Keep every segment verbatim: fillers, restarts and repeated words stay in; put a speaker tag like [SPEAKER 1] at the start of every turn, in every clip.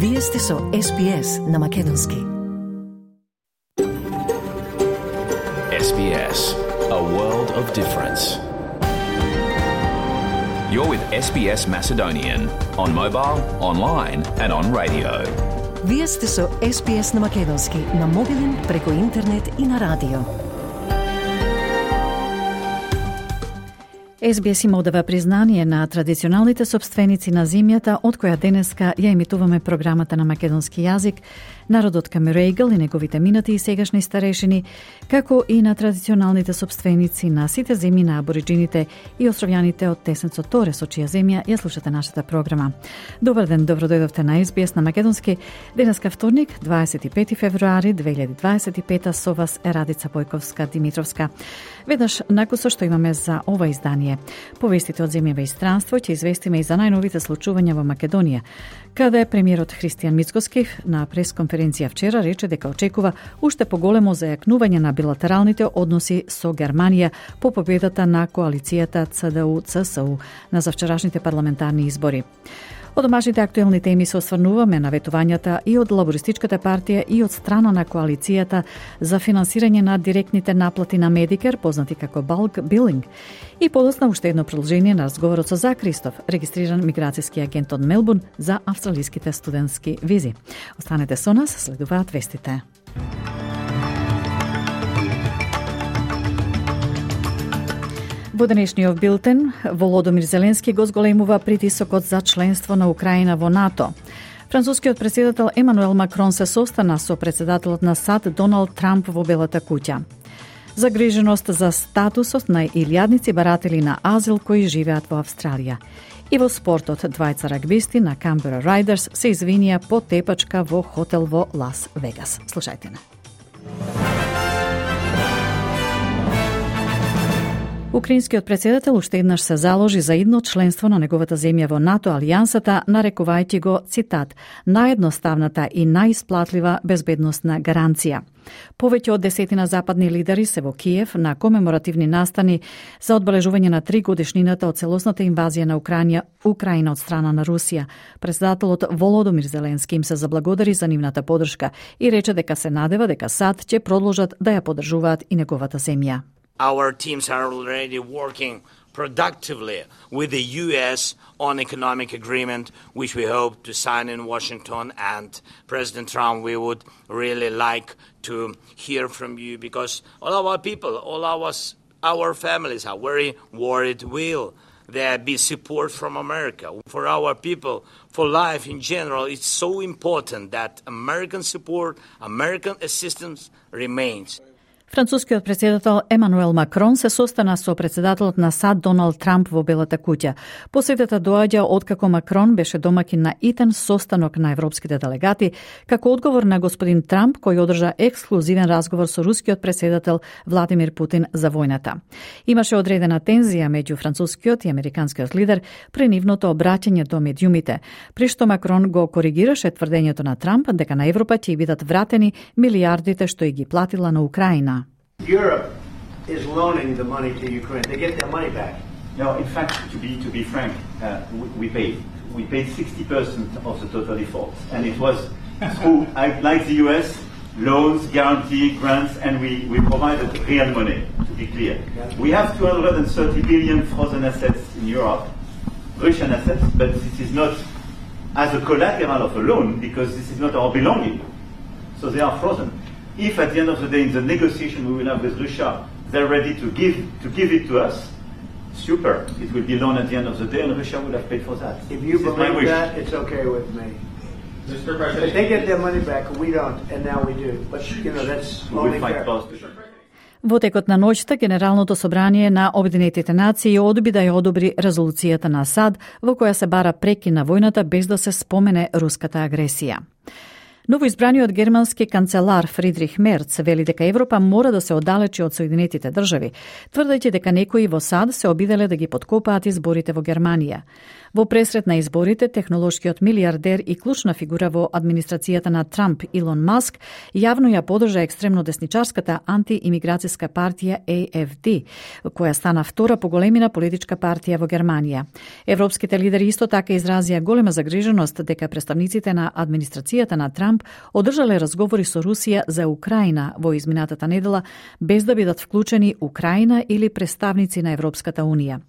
[SPEAKER 1] Вие сте со Ес Би Ес на Македонски.
[SPEAKER 2] Ес Би Ес, a world of difference. You're with Ес Би Ес Macedonian on mobile, online and on radio.
[SPEAKER 1] Вие сте со Ес Би Ес на Македонски на мобилен, преку интернет и на радио. Ес Би Ес има одава признание на традиционалните собственици на земјата, од која денеска ја емитуваме програмата на македонски јазик, народот Камерејгл и неговите минати и сегашни старешини, како и на традиционалните собственици на сите земји на абориджините и островјаните од Тесенцо Торе, со чија земја ја слушате нашата програма. Добар ден, добро дојдовте на Ес Би Ес на Македонски. Денеска вторник, дваесет и пети февруари две илјади дваесет и пета, со вас е Радица Бојковска-Димитровска. Веднаш накусо што имаме за ова издание. Повестите од земјава и странство ќе известиме и за најновите случувања во Македонија, каде премиерот Христијан Мицкоски на пресконференција вчера рече дека очекува уште поголемо зајакнување на билатералните односи со Германија по победата на коалицијата Це Де У Це Се У на завчерашните парламентарни избори. Од домашните актуелни теми се осврнуваме на ветувањата и од Лабористичката партија и од страна на коалицијата за финансирање на директните наплати на Медикер, познати како Bulk Billing, и подоцна уште едно продолжение на разговорот со Зак Ристов, регистриран миграцијски агент од Мелбурн за австралиските студентски визи. Останете со нас, следуваат вестите. Во денешниот билтен, Володомир Зеленски го зголемува притисокот за членство на Украина во НАТО. Францускиот претседател Емануел Макрон се состана со претседателот на САД Доналд Трамп во Белата куќа. Загриженост за статусот на илјадници баратели на азил кои живеат во Австралија. И во спортот, двајца рагбисти на Камбера Райдерс се извинија по тепачка во хотел во Лас Вегас. Слушајте на. Украинскиот претседател уште еднаш се заложи за идно членство на неговата земја во НАТО алијансата, нарекувајќи го, цитат, наједноставната и најисплатлива безбедносна гаранција. Повеќе од десетина западни лидери се во Киев на комеморативни настани за одбележување на три годишнината од целосната инвазија на Украина, Украина од страна на Русија. Претседателот Володомир Зеленски им се заблагодари за нивната поддршка и рече дека се надева дека САД ќе продолжат да ја поддржуваат и неговата земја.
[SPEAKER 3] Our teams are already working productively with the U S on economic agreement, which we hope to sign in Washington. And President Trump, we would really like to hear from you because all of our people, all of us, our families are very worried. Will there be support from America? For our people, for life in general, it's so important that American support, American assistance remains.
[SPEAKER 1] Францускиот претседател Емануел Макрон се состана со претседателот на САД Доналд Трамп во Белата куќа. Посетата доаѓа откако Макрон беше домакин на итен состанок на европските делегати, како одговор на господин Трамп кој одржа ексклузивен разговор со рускиот претседател Владимир Путин за војната. Имаше одредена тензија меѓу францускиот и американскиот лидер при нивното обраќање до медиумите, при што Макрон го коригираше тврдењето на Трамп дека на Европа ќе бидат вратени милијардите што и ги платила на Украина.
[SPEAKER 4] Europe is loaning the money to Ukraine. They get their money back.
[SPEAKER 5] No, in fact, to be to be frank, uh, we, we paid. We paid sixty percent of the total defaults, and it was through, like the U S, loans, guarantee, grants, and we, we provided real money. To be clear, we have two hundred thirty billion frozen assets in Europe, Russian assets, but this is not as a collateral of a loan because this is not our belonging. So they are frozen. If at the end of the day in the negotiation we will have with Russia, they're ready to give to give it to us, super. It will be loan at the end of the day and Russia will have paid for that.
[SPEAKER 4] If you this believe that, it's okay with me.
[SPEAKER 5] Mister President,
[SPEAKER 4] if they get their money back, we don't, and now we do. But you know, that's only fair.
[SPEAKER 1] Во текот на ноќта, Генералното собрание на Обединетите нации одби да ја одобри резолуцијата на САД во која се бара прекин на војната без да се спомене руската агресија. Новоизбраниот германски канцелар Фридрих Мерц вели дека Европа мора да се оддалечи од Соединетите држави, тврдејќи дека некои во САД се обиделе да ги подкопаат изборите во Германија. Во пресрет на изборите, технолошкиот милиардер и клучна фигура во администрацијата на Трамп Илон Маск јавно ја подржа екстремно десничарската антиимиграцијска партија А Ф Д, која стана втора по големина политичка партија во Германија. Европските лидери исто така изразија голема загриженост дека представниците на администрацијата на Трамп одржале разговори со Русија за Украина во изминатата недела без да бидат вклучени Украина или представници на Европската Унија.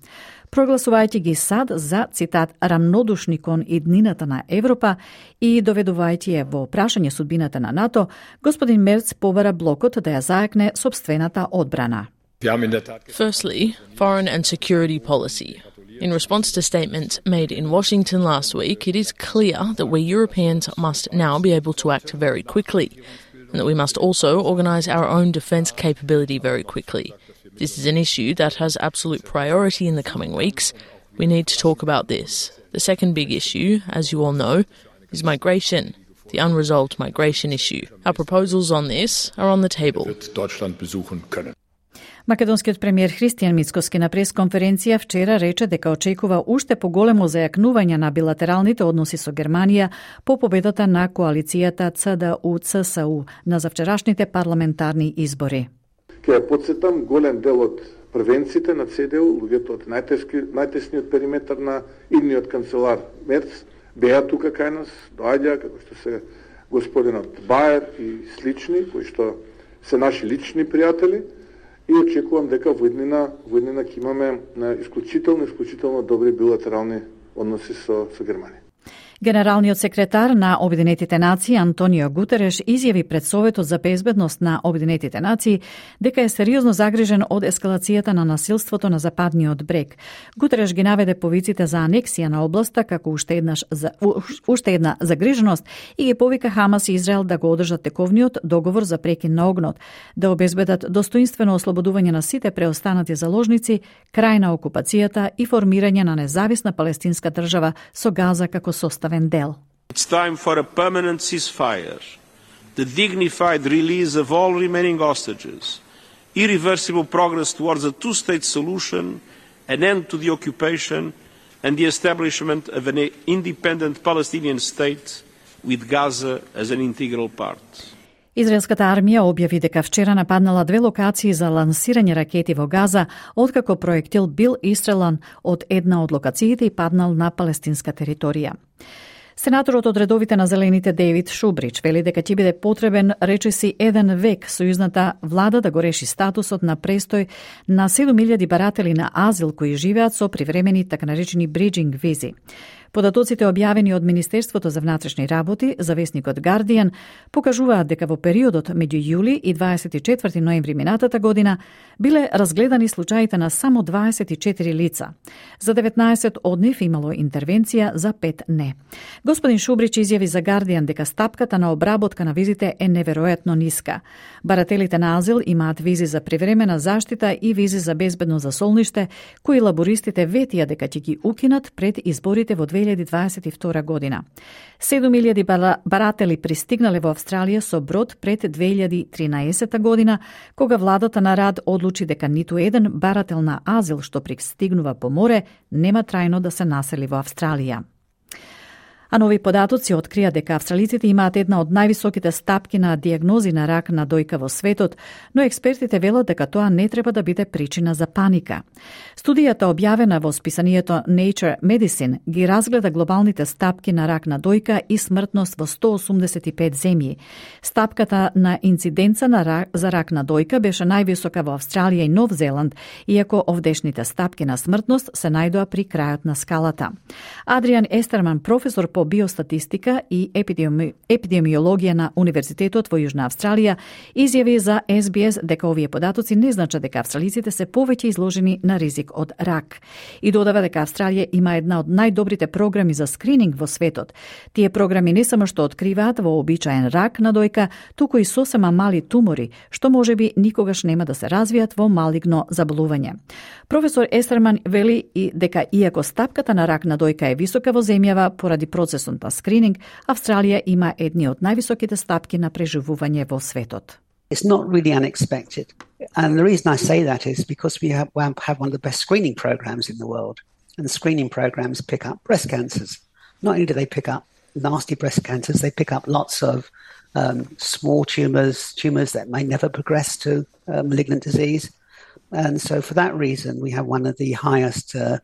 [SPEAKER 1] Прогласувајќи ги САД за, цитат, рамнодушни кон иднината на Европа и доведувајќи ја во прашање судбината на НАТО, господин Мерц побара блокот да ја заекне собствената одбрана.
[SPEAKER 6] Firstly, foreign and security policy. In response to statements made in Washington last week, it is clear that we Europeans must now be able to act very quickly, and that we must also organise our own defence capability very quickly. This is an issue that has absolute priority in the coming weeks. We need to talk about this. The second big issue, as you all know, is migration, the unresolved migration issue. Our proposals on this are on the table.
[SPEAKER 1] Македонскиот премиер Христијан Мицкоски на пресконференција вчера рече дека очекува уште поголемо зајакнување на билатералните односи со Германија по победата на коалицијата Ц Д У Ц С У на завчерашните парламентарни избори.
[SPEAKER 7] Ке ја подсетам, голем дел од првенците на Ц Д У, луѓето од најтесниот периметар на идниот канцелар Мерц, беа тука кај нас, доаѓа, како што се господинот Баер и слични, кои што се наши лични пријатели, и очекувам дека во иднина, во иднина ќе имаме на исклучително, исклучително добри билатерални односи со, со Германија.
[SPEAKER 1] Генералниот секретар на Обединетите нации Антонио Гутереш изјави пред Советот за безбедност на Обединетите нации дека е сериозно загрижен од ескалацијата на насилството на западниот брег. Гутереш ги наведе повиците за анексија на областа како уште еднаш за, уште една загриженост и ги повика Хамас и Израел да го одржат тековниот договор за прекин на огнот, да обезбедат достоинствено ослободување на сите преостанати заложници, крај на окупацијата и формирање на независна палестинска држава со Газа како составен дел.
[SPEAKER 8] It's time for a permanent ceasefire, the dignified release of all remaining hostages, irreversible progress towards a two-state solution, an end to the occupation, and the establishment of an independent Palestinian state with Gaza as an integral part.
[SPEAKER 1] Израелската армија објави дека вчера нападнала две локации за лансирање ракети во Газа, откако проектил бил истрелан од една од локациите и паднал на палестинска територија. Сенаторот од редовите на Зелените Дејвид Шубрич вели дека ќе биде потребен речиси еден век сојузната влада да го реши статусот на престој на седум илјади баратели на азил кои живеат со привремени така наречени бриджинг визи. Податоците објавени од Министерството за внатрешни работи за весникот Guardian покажуваат дека во периодот меѓу јули и дваесет и четврти ноември минатата година биле разгледани случаите на само дваесет и четири лица. За деветнаесет од нив имало интервенција, за пет не. Господин Шубрич изјави за Guardian дека стапката на обработка на визите е неверојатно ниска. Барателите на азил имаат визи за привремена заштита и визи за безбедно засолниште, кои лабористите ветија дека ќе ги укинат пред изборите во две илјади дваесет и втора година. седум илјади баратели пристигнале во Австралија со брод пред две илјади тринаесета година, кога владата на Рад одлучи дека ниту еден барател на азил што пристигнува по море нема трајно да се насели во Австралија. А нови податоци открија дека австралиците имаат една од највисоките стапки на дијагнози на рак на дојка во светот, но експертите велат дека тоа не треба да биде причина за паника. Студијата објавена во списанието Nature Medicine ги разгледа глобалните стапки на рак на дојка и смртност во сто осумдесет и пет земји. Стапката на инциденца на рак, за рак на дојка беше највисока во Австралија и Нов Зеланд, иако овдешните стапки на смртност се најдоа при крајот на скалата. Адриан Естерман, професор по биостатистика и епидеми... епидемиологија на Универзитетот во Јужна Австралија, изјави за Ес Би Ес дека овие податоци не значат дека австралиците се повеќе изложени на ризик од рак. И додава дека Австралија има една од најдобрите програми за скрининг во светот. Тие програми не само што откриваат вообичаен рак на дојка, туку и сосема мали тумори, што можеби никогаш нема да се развијат во малигно заболување. Професор Естерман вели и дека иако стапката на рак на дојка е висока во земјава поради процесот процесот на скрининг, Австралија има едни од највисоките стапки на преживување во светот.
[SPEAKER 9] It's not really unexpected. And the reason I say that is because we have, have one of the best screening programs in the world. And the screening programs pick up breast cancers. Not only do they pick up nasty breast cancers, they pick up lots of um, small tumours, tumours that may never progress to uh, malignant disease. And so for that reason, we have one of the highest uh,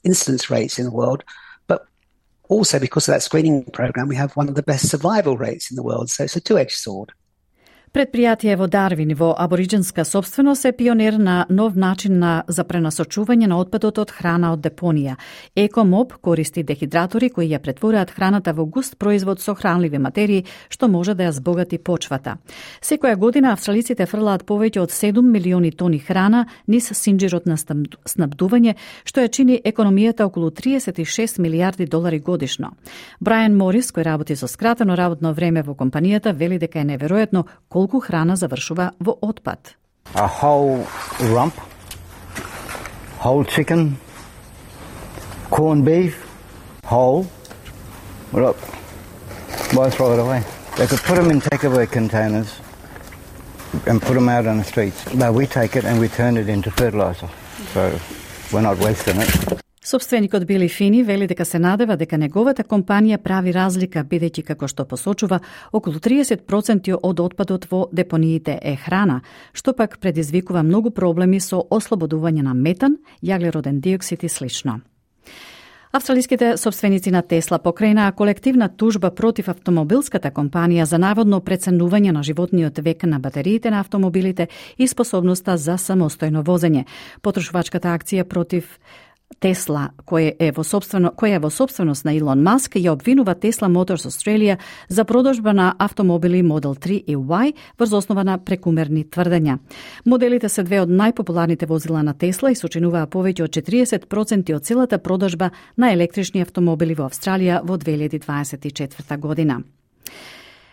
[SPEAKER 9] incidence rates in the world. But also because of that screening program, we have one of the best survival rates in the world. So it's a two-edged sword.
[SPEAKER 1] Предпријатие во Дарвин во абориџинска собственост е пионер на нов начин на за пренасочување на отпадот од храна од депонија. Екомоб користи дехидратори кои ја претвораат храната во густ производ со хранливи материи, што може да ја збогати почвата. Секоја година австралиците фрлаат повеќе од седум милиони тони храна низ синџирот на снабдување, што ја чини економијата околу триесет и шест милијарди долари годишно. Брайан Морис, кој работи со скратено работно време во компанијата, вели дека е неверојатно колку храна завршува во отпад.
[SPEAKER 10] A whole rump, whole chicken, corned beef, whole. Well, look, why throw it away? They could put them in takeaway containers and put them out on the streets. But we take it and we turn it into fertilizer. So we're not wasting it.
[SPEAKER 1] Собственикот Били Фини вели дека се надева дека неговата компанија прави разлика, бидејќи како што посочува, околу триесет проценти од отпадот во депониите е храна, што пак предизвикува многу проблеми со ослободување на метан, јаглероден диоксид и слично. Австралиските собственици на Тесла покренаа колективна тужба против автомобилската компанија за наводно преценување на животниот век на батериите на автомобилите и способноста за самостојно возење. Потрошувачката акција против Тесла, која е во собствено која е во собственост на Илон Маск, ја обвинува Tesla Motors Australia за продажба на автомобили Model три и Y врз основа на прекумерни тврдења. Моделите се две од најпопуларните возила на Тесла и сочинуваа повеќе од четириесет проценти од целата продажба на електрични автомобили во Австралија во две илјади дваесет и четврта година.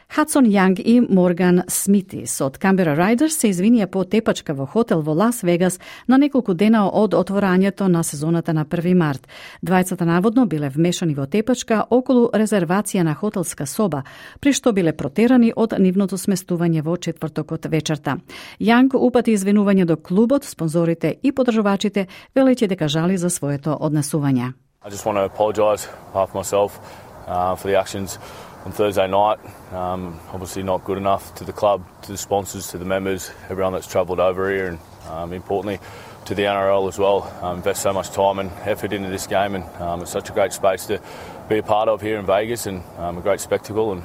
[SPEAKER 1] Хадсон Јанг и Морган Смитис од Canberra Riders се извинија по тепачка во хотел во Лас Вегас на неколку дена од отворањето на сезоната на први март. Двајцата наводно биле вмешани во тепачка околу резервација на хотелска соба, при што биле протерани од нивното сместување во четвртокот вечерта. Јанг упати извинување до клубот, спонзорите и подржувачите, велејќи дека жали за своето однесување.
[SPEAKER 11] I just want to apologise half myself uh, for the actions on Thursday night. Um, obviously not good enough to the club, to the sponsors, to the members, everyone that's travelled over here, and um, importantly to the N R L as well. Um, invest so much time and effort into this game, and um, it's such a great space to be a part of here in Vegas, and um, a great spectacle. And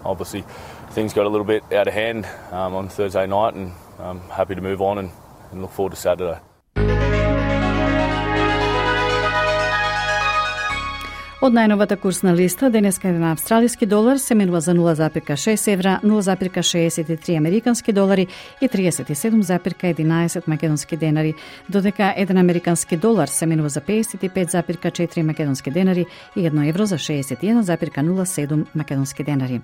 [SPEAKER 11] obviously things got a little bit out of hand um, on Thursday night, and I'm happy to move on and, and look forward to Saturday.
[SPEAKER 1] Од најновата курсна листа, денеска на австралиски долар се менува за нула запирка шест евра, нула запирка шеесет и три американски долари и триесет и седум запирка единаесет македонски денари, додека еден американски долар се менува за пеесет и пет запирка четири македонски денари и едно евро за шеесет и еден запирка нула седум македонски денари.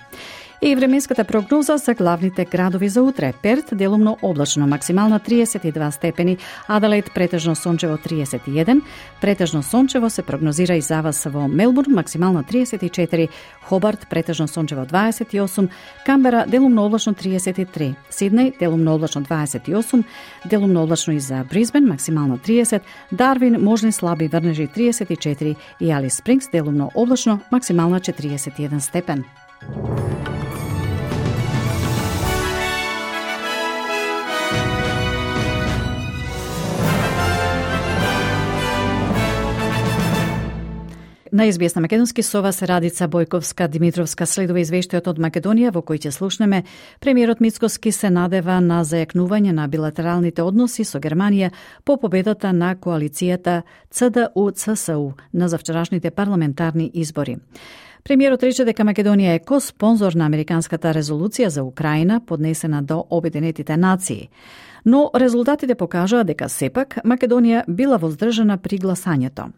[SPEAKER 1] И временската прогноза за главните градови за утре. Перт делумно облачно, максимална триесет и два степени, Аделаид претежно сончево триесет и еден, претежно сончево се прогнозира и за вас во Мелбурн, максимална триесет и четири, Хобарт претежно сончево дваесет и осум, Камбера делумно облачно триесет и три, Сиднеј делумно облачно дваесет и осум, делумно облачно и за Брисбен, максимално триесет, Дарвин можни слаби врнежи триесет и четири и Алис Спрингс делумно облачно, максимална четириесет и еден степен. На Ес Би Ес на македонски со вас Радица Бојковска Димитровска следува извештајот од Македонија во кој ќе слушнеме премиерот Мицкоски се надева на зајакнување на билатералните односи со Германија по победата на коалицијата Ц Д У Ц С У на завчерашните парламентарни избори. Премиерот рече дека Македонија е ко-спонзор на американската резолуција за Украина поднесена до Обединетите нации. Но резултатите покажаа дека сепак Македонија била воздржана при гласањето.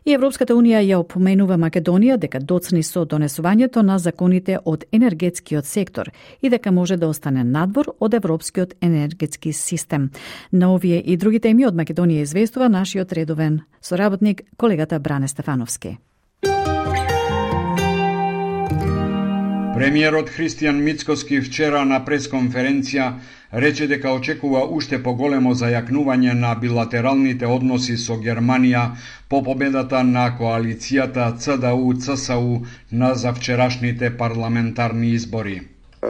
[SPEAKER 1] И Европската Унија ја опоменува Македонија дека доцни со донесувањето на законите од енергетскиот сектор и дека може да остане надвор од европскиот енергетски систем. На овие и други теми од Македонија известува нашиот редовен соработник, колегата Бране Стефановски.
[SPEAKER 12] Премиерот Христијан Мицкоски вчера на пресконференција рече дека очекува уште поголемо зајакнување на билатералните односи со Германија по победата на коалицијата Ц Д У Ц С У на завчерашните парламентарни избори.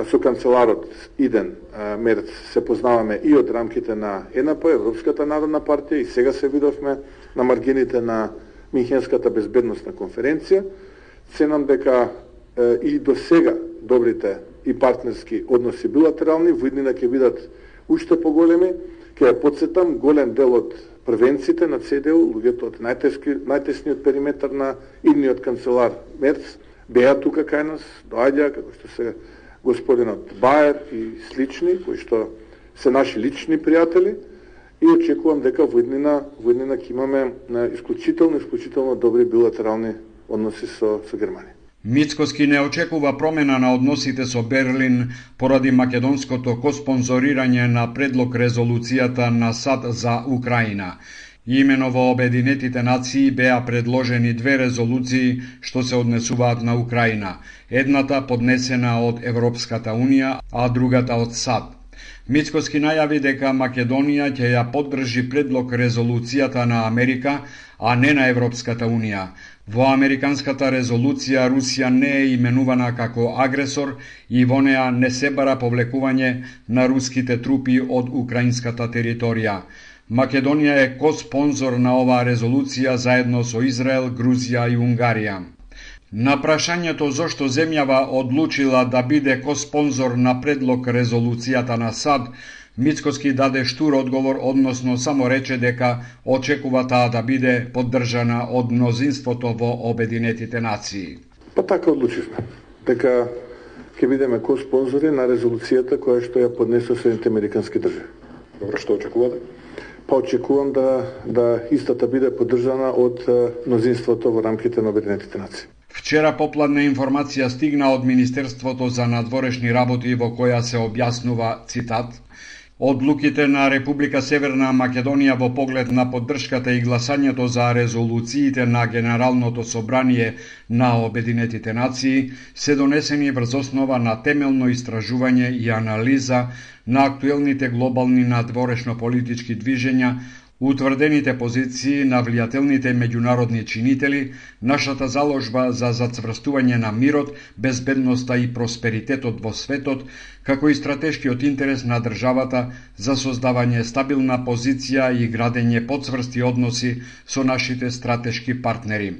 [SPEAKER 7] Со канцеларот Иден Мерц се познаваме и од рамките на Е Н П, Европската народна партија, и сега се видовме на маргините на Минхенската безбедносна конференција. Ценам дека и до сега добрите и партнерски односи билатерални во иднина ќе бидат уште поголеми. Ќе ја подсетам, голем дел од првенците на Ц Д У, луѓето од најтесниот периметар на идниот канцелар Мерц, беа тука кај нас, доаѓа, како што се господинот Баер и слични, кои што се наши лични пријатели, и очекувам дека во иднина, во иднина ќе имаме исклучително, исклучително добри билатерални односи со, со Германија.
[SPEAKER 12] Мицкоски не очекува промена на односите со Берлин поради македонското коспонзорирање на предлог резолуцијата на САД за Украина. Имено во Обединетите нации беа предложени две резолуции што се однесуваат на Украина. Едната поднесена од Европската Унија, а другата од САД. Мицкоски најави дека Македонија ќе ја поддржи предлог резолуцијата на Америка, а не на Европската Унија. Во американската резолуција Русија не е именувана како агресор и во неа не се бара повлекување на руските трупи од украинската територија. Македонија е коспонзор на оваа резолуција заедно со Израел, Грузија и Унгарија. На прашањето зошто земјава одлучила да биде коспонзор на предлог резолуцијата на САД, Мицкоски даде штур одговор, односно само рече дека очекува таа да биде поддржана од мнозинството во Обединетите нации.
[SPEAKER 7] Па така одлучивме, дека ќе бидеме коспонзори на резолуцијата која што ја поднесува Соединетите американски држави. Добро, што очекувате? Па очекувам да, да истата биде поддржана од мнозинството во рамките на Обединетите нации.
[SPEAKER 12] Вчера попладна информација стигна од Министерството за надворешни работи во која се објаснува, цитат, одлуките на Република Северна Македонија во поглед на поддршката и гласањето за резолуциите на Генералното собрание на Обединетите нации се донесени врз основа на темелно истражување и анализа на актуелните глобални надворешно-политички движења, утврдените позиции на влијателните меѓународни чинители, нашата заложба за зацврстување на мирот, безбедноста и просперитетот во светот, како и стратешкиот интерес на државата за создавање стабилна позиција и градење подцврсти односи со нашите стратешки партнери.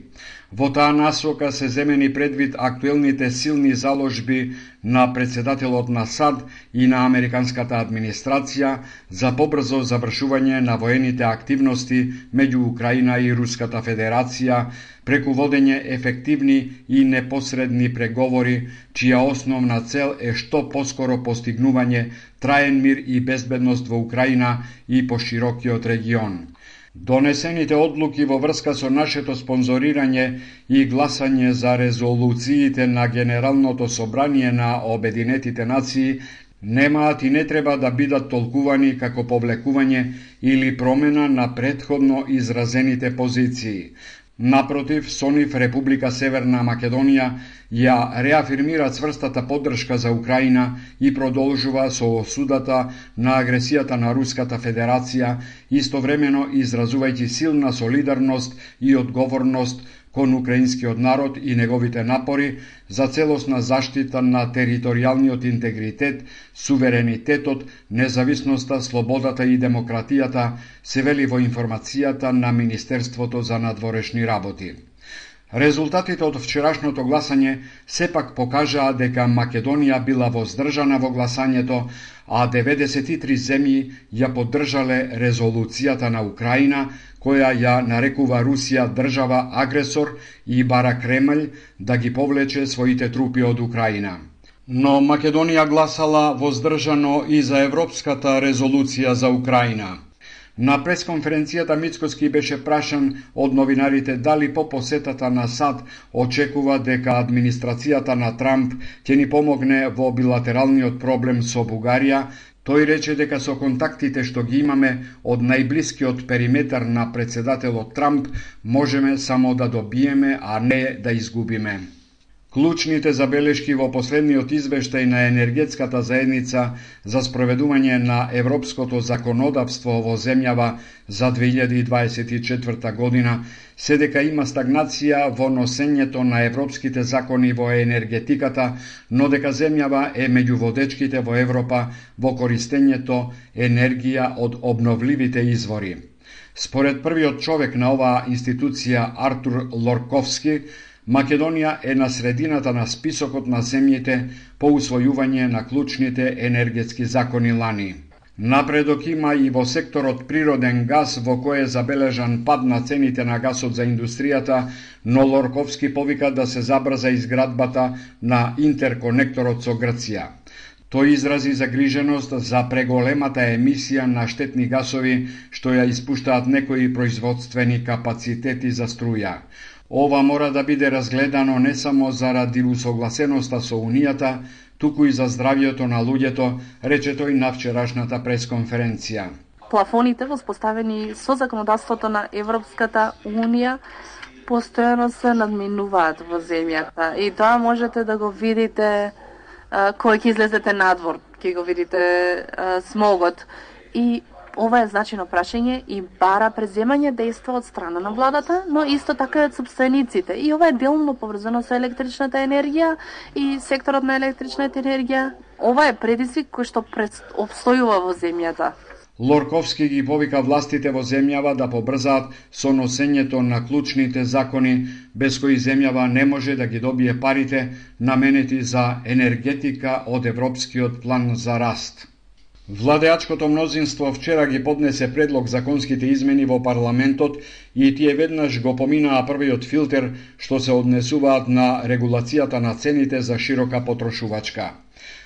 [SPEAKER 12] Во таа насока се земени предвид актуелните силни заложби на председателот на САД и на американската администрација за побрзо завршување на воените активности меѓу Украина и Руската Федерација преку водење ефективни и непосредни преговори, чија основна цел е што поскоро постигнување траен мир и безбедност во Украина и по широкиот регион. Донесените одлуки во врска со нашето спонзорирање и гласање за резолуциите на Генералното собрание на Обединетите нации немаат и не треба да бидат толкувани како повлекување или промена на претходно изразените позиции. Напротив, со нив Република Северна Македонија ја реафирмира цврстата поддршка за Украина и продолжува со осудата на агресијата на Руската Федерација, истовремено изразувајќи силна солидарност и одговорност кон украинскиот народ и неговите напори за целосна заштита на територијалниот интегритет, суверенитетот, независноста, слободата и демократијата, се вели во информацијата на Министерството за надворешни работи. Резултатите од вчерашното гласање сепак покажаа дека Македонија била воздржана во гласањето, а деветдесет и три земји ја поддржале резолуцијата на Украина, која ја нарекува Русија држава агресор и бара Кремљ да ги повлече своите трупи од Украина. Но Македонија гласала воздржано и за Европската резолуција за Украина. На пресконференцијата Мицкоски беше прашан од новинарите дали по посетата на САД очекува дека администрацијата на Трамп ќе ни помогне во билатералниот проблем со Бугарија. Тој рече дека со контактите што ги имаме од најблискиот периметар на председателот Трамп можеме само да добиеме, а не да изгубиме. Клучните забелешки во последниот извештај на енергетската заедница за спроведување на европското законодавство во земјава за две илјади дваесет и четврта година се дека има стагнација во носењето на европските закони во енергетиката, но дека земјава е меѓу водечките во Европа во користењето енергија од обновливите извори. Според првиот човек на оваа институција, Артур Лорковски, Македонија е на средината на списокот на земјите по усвојување на клучните енергетски закони лани. Напредок има и во секторот природен газ, во кој е забележан пад на цените на гасот за индустријата, но Лорковски повика да се забрза изградбата на интерконекторот со Грција. Тој изрази загриженост за преголемата емисија на штетни гасови што ја испуштаат некои производствени капацитети за струја. Ова мора да биде разгледано не само заради усогласеноста со Унијата, туку и за здравјето на луѓето, рече тој на вчерашната пресконференција.
[SPEAKER 13] Плафоните воспоставени со законодавството на Европската Унија постојано се надминуваат во земјата и тоа можете да го видите а, кој ќе излезете надвор, ќе го видите а, смогот. И ова е значајно прашање и бара преземање дејства од страна на владата, но исто така и од сопствениците. И ова е делно поврзано со електричната енергија и секторот на електричната енергија. Ова е предизвик кој што обстојува во земјата.
[SPEAKER 12] Лорковски ги повика властите во земјава да побрзаат со носењето на клучните закони, без кои земјава не може да ги добие парите наменети за енергетика од Европскиот план за раст. Владеачкото мнозинство вчера ги поднесе предлог законските измени во парламентот и тие веднаш го поминаа првиот филтер што се однесуваат на регулацијата на цените за широка потрошувачка.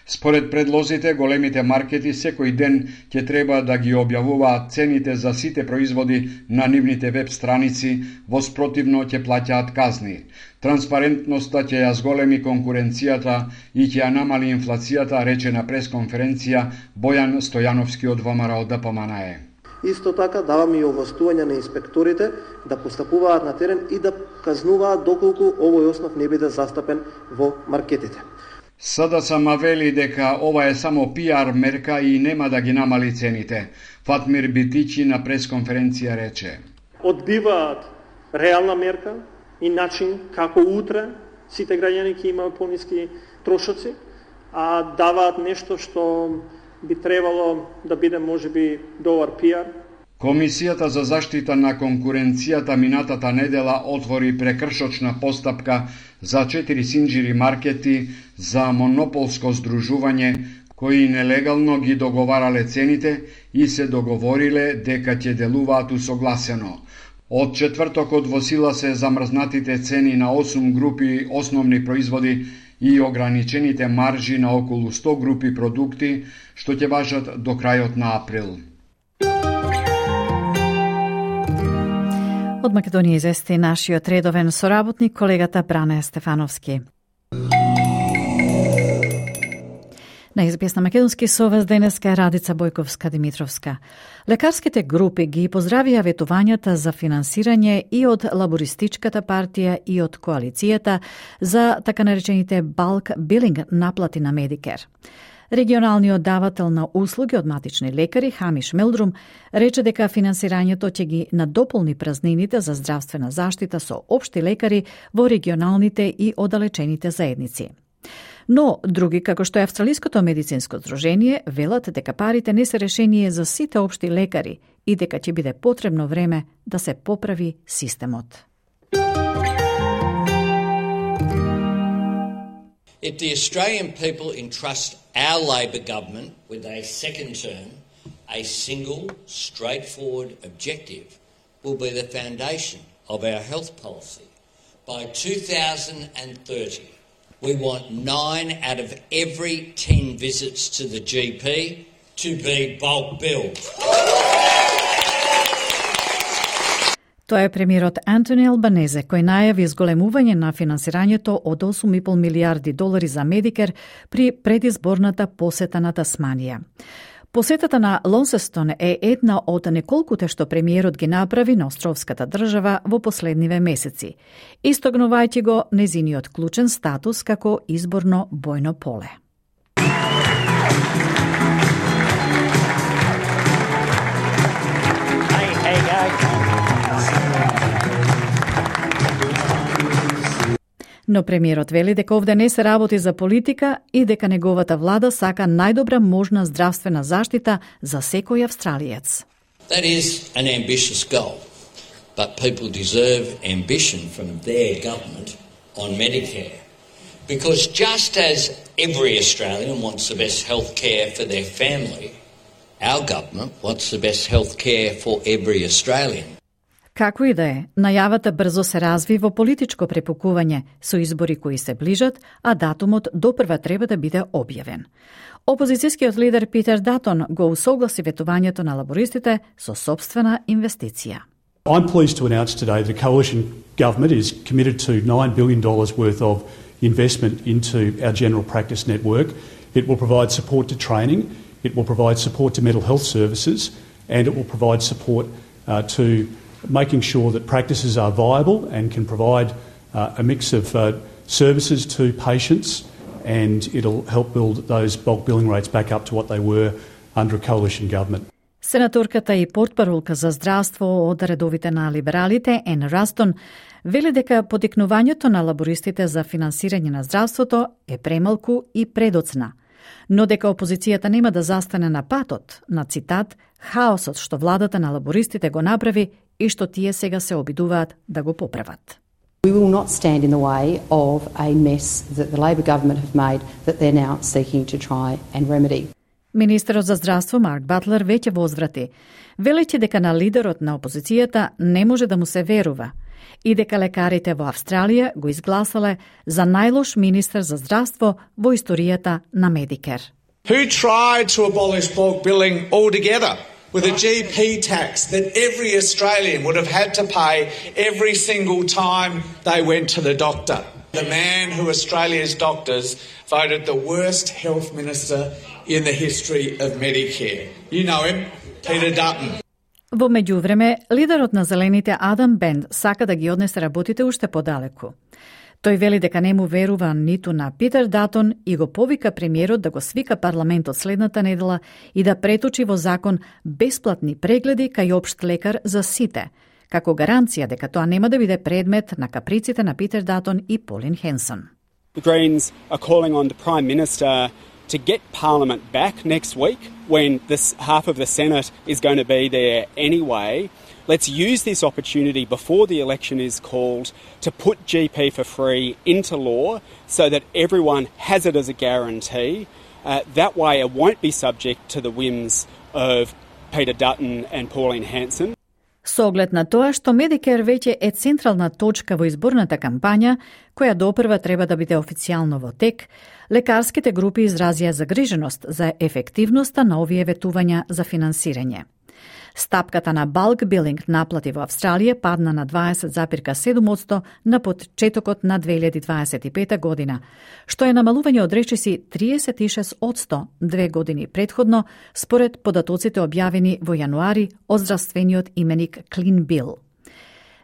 [SPEAKER 12] Според предлозите, големите маркети секој ден ќе треба да ги објавуваат цените за сите производи на нивните веб страници, во спротивно ќе плаќаат казни. Транспарентноста ќе ја зголеми конкуренцијата и ќе ја намали инфлацијата, рече на пресконференција Бојан Стојановски од ВМРО Д П М Н Е.
[SPEAKER 14] Исто така даваме и овластување на инспекторите да постапуваат на терен и да казнуваат доколку овој основ не биде застапен во маркетите.
[SPEAKER 12] С Д С М вели дека ова е само пиар мерка и нема да ги намали цените. Фатмир Битичи на пресконференција рече:
[SPEAKER 15] Одбиваат реална мерка и начин како утре сите граѓани ќе имаат пониски трошоци, а даваат нешто што би требало да биде можеби добар пиар.
[SPEAKER 12] Комисијата за заштита на конкуренцијата минатата недела отвори прекршочна постапка за четири синџири маркети за монополско здружување кои нелегално ги договарале цените и се договориле дека ќе делуваат усогласено. Од четвртокот во сила се замрзнатите цени на осум групи основни производи и ограничените маржи на околу сто групи продукти, што ќе важат до крајот на април.
[SPEAKER 1] Од Македонија извести нашиот редовен соработник, колегата Бране Стефановски. На Ес Би Ес на македонски со вас денеска е Радица Бојковска-Димитровска. Лекарските групи ги поздравија ветувањата за финансирање и од Лабористичката партија и од коалицијата за така наречените балк билинг наплати на Медикер. Регионалниот давател на услуги од матични лекари Хамиш Мелдрум рече дека финансирањето ќе ги надополни празнините за здравствена заштита со општи лекари во регионалните и оддалечените заедници. Но други, како што е Австралиското медицинско здружение, велат дека парите не се решение за сите општи лекари и дека ќе биде потребно време да се поправи системот.
[SPEAKER 16] If the Australian people entrust our Labor government with a second term, a single, straightforward objective will be the foundation of our health policy. By two thousand thirty, we want nine out of every ten visits to the G P to be bulk billed.
[SPEAKER 1] Тоа е премиерот Антони Албанезе, кој најави зголемување на финансирањето од осум и пол милијарди долари за Медикер при предизборната посета на Тасманија. Посетата на Лонсестон е една од неколкуте што премиерот ги направи на островската држава во последниве месеци, истогнувајќи го незиниот клучен статус како изборно бојно поле. Но премиерот вели дека овде не се работи за политика и дека неговата влада сака најдобра можна здравствена заштита за секој австралиец.
[SPEAKER 16] That is an ambitious goal, but people deserve ambition from their government on Medicare. Because just as every Australian wants the best health care for their family, our government wants the best health care for every Australian.
[SPEAKER 1] Како и да е, најавата брзо се разви во политичко препукување со избори кои се ближат, а датумот допрва треба да биде објавен. Опозицијскиот лидер Питер Датон го усогласи ветувањето на лабористите со собствена инвестиција.
[SPEAKER 17] I'm pleased to announce today the coalition government is committed to nine billion dollars worth of investment into our general practice network. It will provide support to training, it will provide support to mental health services, and it will provide support uh, to making sure that practices are viable and can provide uh, a mix of uh, services to patients, and it'll help build those bulk billing rates back up to what they were under a coalition government.
[SPEAKER 1] Сенаторката и портпаролка за здравство од редовите на либералите, Ен Растон, вели дека потикнувањето на лабористите за финансирање на здравството е премалку и предоцна, но дека опозицијата нема да застане на патот на, цитат, хаосот што владата на лабористите го направи и што тие сега се обидуваат да го поправат.
[SPEAKER 18] We will not stand in the way of a mess that the Labor government have made that they're now seeking to try and remedy.
[SPEAKER 1] Министерот за здравство Марк Батлер веќе возврати, велејќи дека на лидерот на опозицијата не може да му се верува и дека лекарите во Австралија го изгласале за најлош министер за здравство во историјата на Medicare.
[SPEAKER 19] Who tried to abolish bulk billing altogether with a G P tax that every Australian would have had to pay every single time they went to the doctor. The man who Australia's doctors voted the worst health minister in the history of Medicare. You know him, Peter Dutton.
[SPEAKER 1] Во меѓувреме, лидерот на Зелените Адам Бенд сака да ги однесе работите уште подалеку. Тој вели дека не му верува ниту на Питер Датон и го повика премиерот да го свика парламентот следната недела и да преточи во закон бесплатни прегледи кај општ лекар за сите, како гаранција дека тоа нема да биде предмет на каприците на Питер Датон и Полин Хенсон.
[SPEAKER 20] The Greens are calling on the Prime Minister to get Parliament back next week when this half of the Senate is going to be there anyway. Let's use this opportunity before the election is called to put G P for free into law so that everyone has it as a guarantee. Uh, that way it won't be subject to the whims of Peter Dutton and Pauline Hanson.
[SPEAKER 1] Со оглед на тоа што Medicare веќе е централна точка во изборната кампања, која допрва треба да биде официјално во тек, лекарските групи изразија загриженост за ефективноста на овие ветувања за финансирање. Стапката на bulk billing наплати во Австралија падна на дваесет зарез седум одсто на почетокот на две илјади дваесет и пета година, што е намалување од речиси триесет и шест одсто две години претходно, според податоците објавени во јануари од здравствениот именик Clean Bill.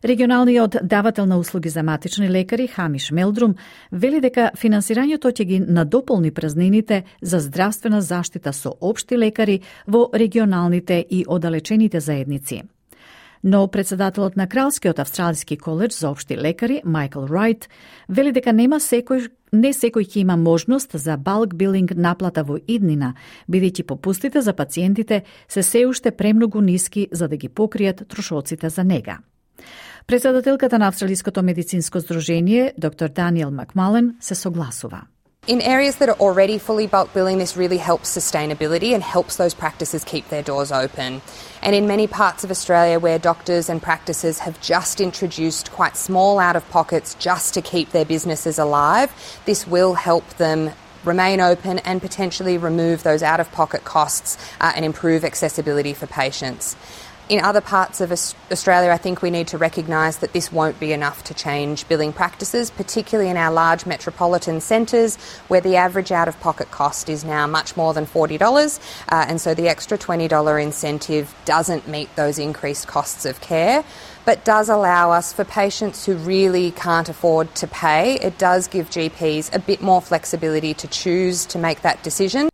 [SPEAKER 1] Регионалниот давател на услуги за матични лекари Хамиш Мелдрум вели дека финансирањето ќе ги надополни празнините за здравствена заштита со општи лекари во регионалните и оддалечените заедници. Но председателот на Кралскиот австралиски коледж за општи лекари Майкл Райт вели дека нема секој не секој ќе има можност за bulk billing наплата во иднина, бидејќи попустите за пациентите се се уште премногу ниски за да ги покријат трошоците за нега. Председателката на Австралиското медицинско здружение, доктор Даниел Макмален, се согласува.
[SPEAKER 21] In areas that are already fully bulk billing, this really helps sustainability and helps those practices keep their doors open. And in many parts of Australia where doctors and practices have just introduced quite small out-of-pockets just to keep their businesses alive, this will help them remain open and potentially remove those out-of-pocket costs uh, and improve accessibility for patients. In other parts of Australia, I think we need to recognise that this won't be enough to change billing practices, particularly in our large metropolitan centres where the average out-of-pocket cost is now much more than forty dollars, uh, and so the extra twenty dollars incentive doesn't meet those increased costs of care, but does allow us, for patients who really can't afford to pay, it does give G Ps a bit more flexibility to choose to make that decision.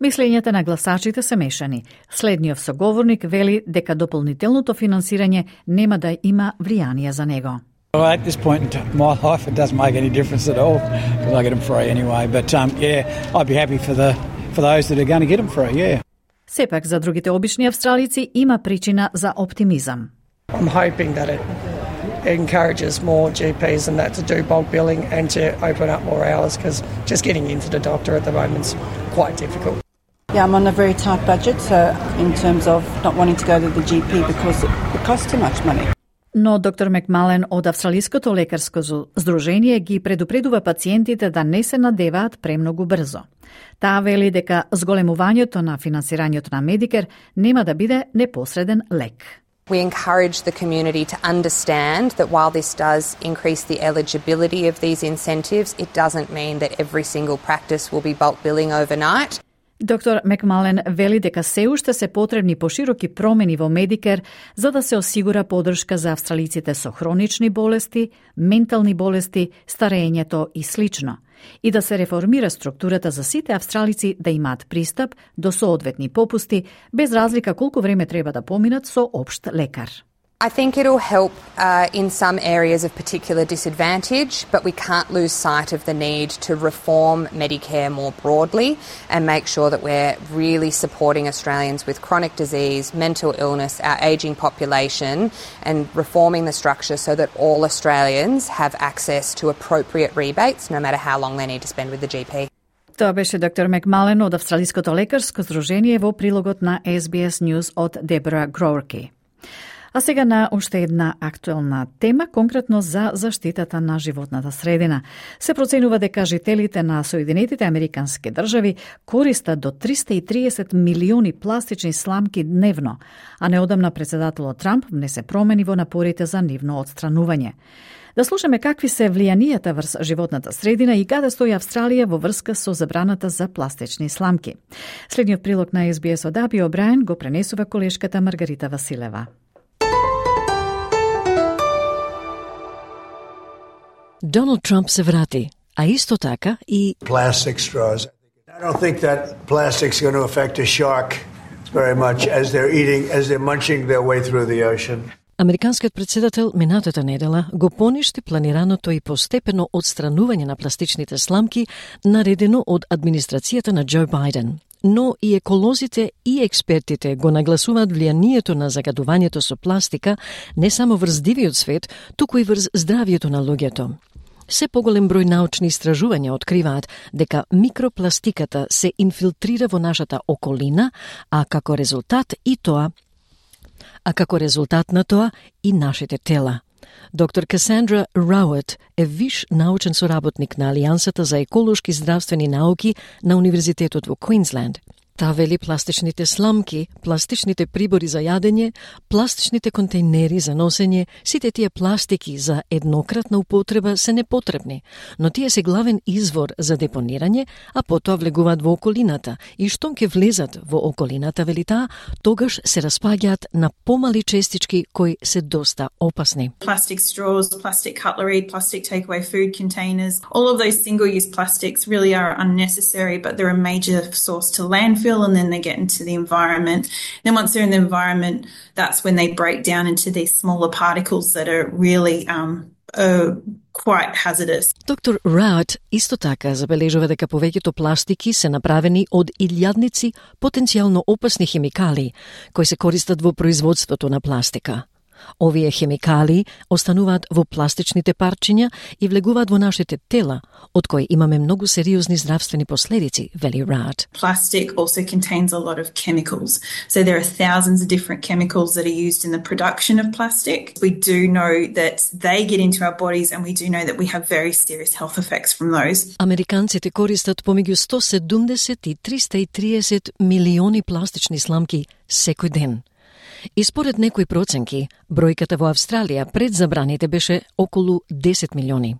[SPEAKER 1] Мислењата на гласачите се мешани. Следниот соговорник вели дека дополнителното финансирање нема да има влијание за него.
[SPEAKER 2] Well, at this point in my life, it doesn't make any difference at all because I get them free anyway. But um, yeah, I'd be happy for the for those that are going to get them free. Yeah.
[SPEAKER 1] Сепак за другите обични австралици има причина за оптимизам.
[SPEAKER 22] I'm hoping that it encourages more G Ps and that to do bulk billing and to open up more hours because just getting into the doctor at the moment is quite difficult.
[SPEAKER 23] Yeah, I'm on a very tight budget, so in terms of not wanting to go to the G P because it, it costs too much money.
[SPEAKER 1] Но доктор Макмален од Австралиското лекарско здружение ги предупредува пациентите да не се надеваат премногу брзо. Таа вели дека зголемувањето на финансирањето на Медикер нема да биде непосреден лек.
[SPEAKER 21] We encourage the community to understand that while this does increase the eligibility of these incentives, it doesn't mean that every single practice will be bulk billing overnight.
[SPEAKER 1] Доктор Макмален вели дека се уште се потребни пошироки промени во Медикер за да се осигура поддршка за австралиците со хронични болести, ментални болести, старењето и слично, и да се реформира структурата за сите австралици да имаат пристап до соодветни попусти, без разлика колку време треба да поминат со општ лекар.
[SPEAKER 21] I think it'll help uh, in some areas of particular disadvantage, but we can't lose sight of the need to reform Medicare more broadly and make sure that we're really supporting Australians with chronic disease, mental illness, our ageing population, and reforming the structure so that all Australians have access to appropriate rebates, no matter how long they need to spend with the G P.
[SPEAKER 1] Тоа беше доктор Макмален од Австралиското лекарско здружение во прилогот на Ес Би Ес News од Дебора Гроурки. А сега на уште една актуелна тема, конкретно за заштитата на животната средина. Се проценува дека жителите на Соединетите Американски држави користат до триста и триесет милиони пластични сламки дневно, а неодамна председателот Трамп внесе промени во напорите за нивно отстранување. Да слушаме какви се влијанијата врз животната средина и каде стои Австралија во врска со забраната за пластични сламки. Следниот прилог на Ес Би Ес од Аби Обраен го пренесува колешката Маргарита Василева.
[SPEAKER 24] Доналд Трамп се врати, а исто така и
[SPEAKER 4] plastic straws. I don't think that plastic's going to affect a shark very much as they're eating, as they're munching their way through the ocean.
[SPEAKER 24] Американскиот председател минатата недела го поништи планираното и постепено отстранување на пластичните сламки наредено од администрацијата на Џо Бајден. Но и еколозите и експертите го нагласуваат влијанието на загадувањето со пластика не само врз дивиот свет, туку и врз здравието на луѓето. Се поголем број научни истражувања откриваат дека микропластиката се инфилтрира во нашата околина, а како резултат и тоа, а како резултат на тоа и нашите тела. Доктор Касандра Раует е виш научен соработник на Алијансата за еколошки здравствени науки на Универзитетот во Квинсленд. Таа вели пластичните сламки, пластичните прибори за јадење, пластичните контейнери за носење, сите тие пластики за еднократна употреба се непотребни, но тие се главен извор за депонирање, а потоа влегуваат во околината и штом ќе влезат во околината, вели таа, тогаш се распаѓаат на помали честички кои се доста опасни.
[SPEAKER 25] Plastic straws, plastic cutlery, plastic takeaway food containers, all of those single-use plastics really are unnecessary, but they're a major source to landfill, and then they get into the environment. Then once they're in the environment, that's when they break down into these smaller particles that are really um, uh, quite hazardous.
[SPEAKER 24] Доктор Раут исто така забележува дека повеќето пластики се направени од илјадници потенцијално опасни хемикали кои се користат во производството на пластика. Овие хемикали остануваат во пластичните парчиња и влегуваат во нашите тела, од кои имаме многу сериозни здравствени последици, вели Раут.
[SPEAKER 25] Plastic also contains a lot of chemicals. So there are thousands of different chemicals that are used in the production of plastic. We do know that they get into our bodies and we do know that we have very serious health effects from those.
[SPEAKER 24] Американците користат помеѓу сто седумдесет и триста и триесет милиони пластични сламки секој ден. И според некои проценки, бројката во Австралија пред забраните беше околу десет милиони.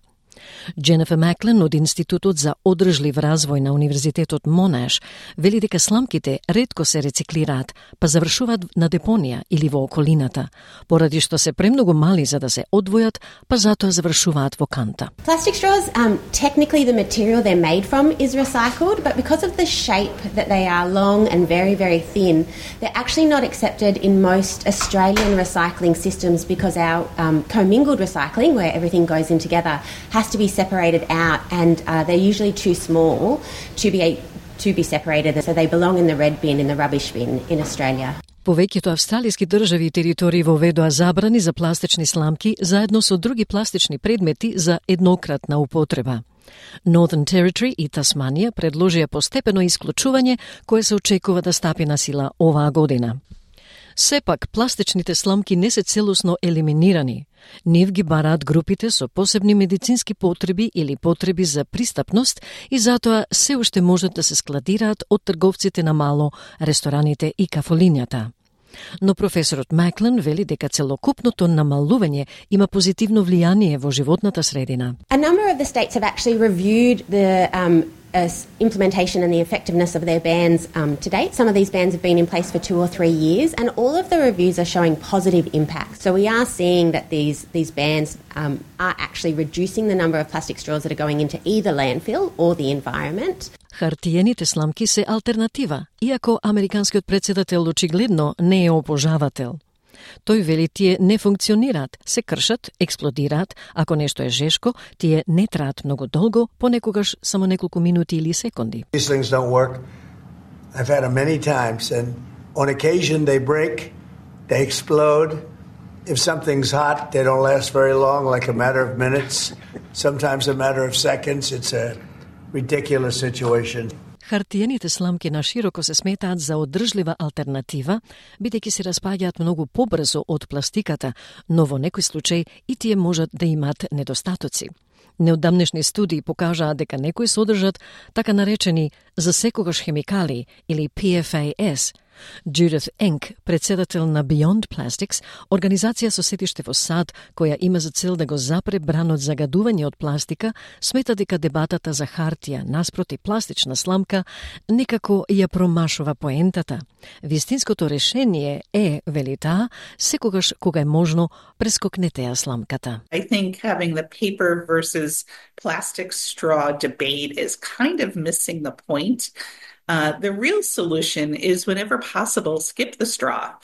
[SPEAKER 24] Дженефер Маклен од Институтот за одржлив развој на Универзитетот Монаш вели дека сламките ретко се рециклираат, па завршуваат на депонија или во околината, поради што се премногу мали за да се одвојат, па затоа завршуваат во канта.
[SPEAKER 3] Plastic straws, um, technically the material they're made from is recycled, but because of the shape that they are long and very, very thin, they're actually not accepted in most Australian recycling systems because our um, commingled recycling, where everything goes in together, has to be separated out, and uh, they're usually too small to be a, to be separated, so they belong in the red bin, in the rubbish bin in Australia.
[SPEAKER 24] Повеќето австралиски држави и територии воведоа забрани за пластични сламки заедно со други пластични предмети за еднократна употреба. Northern Territory и Тасманија предложија постепено исклучување кое се очекува да стапи на сила оваа година. Сепак, пластичните сламки не се целосно елиминирани. Нив ги бараат групите со посебни медицински потреби или потреби за пристапност и затоа се уште можат да се складираат од трговците на мало, рестораните и кафолињата. Но професорот Маклен вели дека целокупното намалување има позитивно влијание во животната средина.
[SPEAKER 3] A number of the states have actually reviewed the um, uh, implementation and the effectiveness of their bans um, to date. Some of these bans have been in place for two or three years, and all of the reviews are showing positive impact. So we are seeing that these these bans um, are actually reducing the number of plastic straws that are going into either landfill or the environment.
[SPEAKER 24] Хартиените сламки се алтернатива, иако американскиот претседател очигледно не е опожавател. Тој вели тие не функционираат, се кршат, експлодираат, ако нешто е жешко, тие не траат многу долго, понекогаш само неколку минути или секунди.
[SPEAKER 4] These things don't work. I've had them many times, and on occasion they break, they explode. If something's hot, they don't last very long, like a matter of minutes, sometimes a matter of seconds. It's a ridiculous situation.
[SPEAKER 24] Хартиените сламки на широко се сметаат за одржлива алтернатива, бидејќи се распаѓаат многу побрзо од пластиката, но во некој случај и тие можат да имаат недостатоци. Неодамнешни студии покажаа дека некои содржат така наречени за секогаш хемикали или P F A S. Judith Enck, председател на Beyond Plastics, организација со сетиште во САД, која има за цел да го запре бранот загадување од пластика, смета дека дебатата за хартија наспроти пластична сламка некако ја промашува поентата. Вистинското решение е, вели таа, секогаш кога е можно, прескокнете ја сламката.
[SPEAKER 5] I think having the paper versus plastic straw debate is kind of missing the point. Uh, the real solution is, whenever possible, skip the straw.